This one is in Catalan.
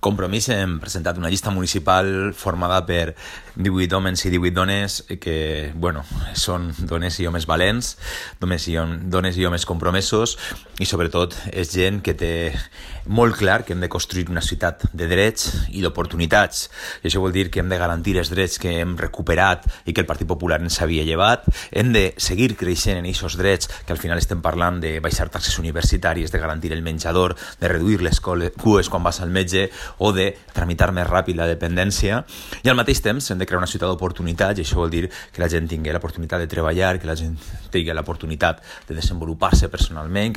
Compromís hem presentat una llista municipal formada per 18 homes i 18 dones que, són dones i homes valents, dones i homes compromesos i sobretot és gent que té molt clar que hem de construir una ciutat de drets i d'oportunitats. I això vol dir que hem de garantir els drets que hem recuperat i que el Partit Popular ens havia llevat. Hem de seguir creixent en aquests drets que al final estem parlant de baixar taxes universitàries, de garantir el menjador, de reduir les cues quan vas al metge o de tramitar més ràpid la dependència. I al mateix temps hem de crear una ciutat d'oportunitats i això vol dir que la gent tingui l'oportunitat de treballar, que la gent tingui l'oportunitat de desenvolupar-se personalment, que